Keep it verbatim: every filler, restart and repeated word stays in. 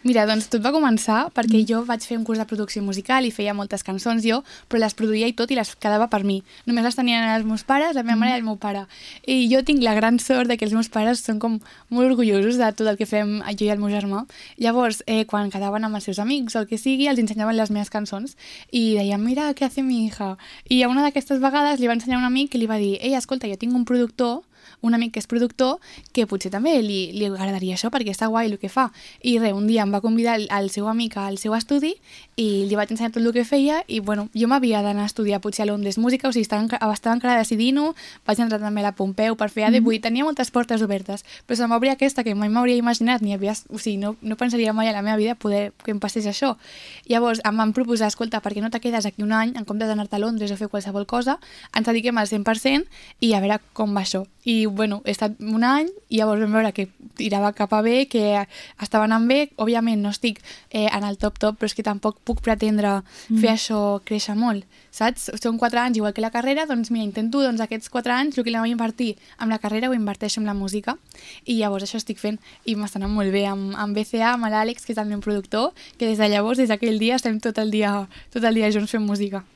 Mira, doncs tot va començar perquè jo vaig fer un curs de producció musical i feia moltes cançons jo, però les produïa i tot i les quedava per mi. Només les tenien els meus pares, la meva mare i el meu pare. I jo tinc la gran sort de que els meus pares són com molt orgullosos de tot el que fem jo i el meu germà. Llavors, eh, quan quedaven amb els seus amics o el que sigui, els ensenyaven les meves cançons i deien, mira, què hace mi hija? I a una d'aquestes vegades li va ensenyar un amic que li va dir, ei, escolta, jo tinc un productor, un amic que és productor, que potser també li, li agradaria això perquè està guai el que fa. I res, un dia em va convidar el, el seu amic al seu estudi i li vaig ensenyar tot el que feia i bueno, jo m'havia d'anar a estudiar potser a Londres música, o sigui, estava, enca- estava encara decidint-ho, vaig entrar també a la Pompeu per fer A D, vull dir, tenia moltes portes obertes, però se m'obria aquesta que mai m'hauria imaginat, ni havia, o sigui, no, no pensaria mai a la meva vida poder que em passés això. Llavors em van proposar, escolta, per què no te quedes aquí un any en comptes d'anar-te a Londres o fer qualsevol cosa, ens dediquem al cent per cent i a veure com va això. I bueno, he estat un any i llavors vam veure que tirava cap a bé, que estava anant bé. Òbviament no estic eh, en el top top, però és que tampoc puc pretendre mm. fer això créixer molt, saps? Són quatre anys igual que la carrera, doncs mira, intento doncs, aquests quatre anys el que la vaig invertir amb la carrera ho inverteixo en la música i llavors això estic fent i m'està anant molt bé amb, amb B C A, amb l'Àlex, que és el meu productor, que des de llavors, des d'aquell dia, estem tot el dia, tot el dia junts fent música.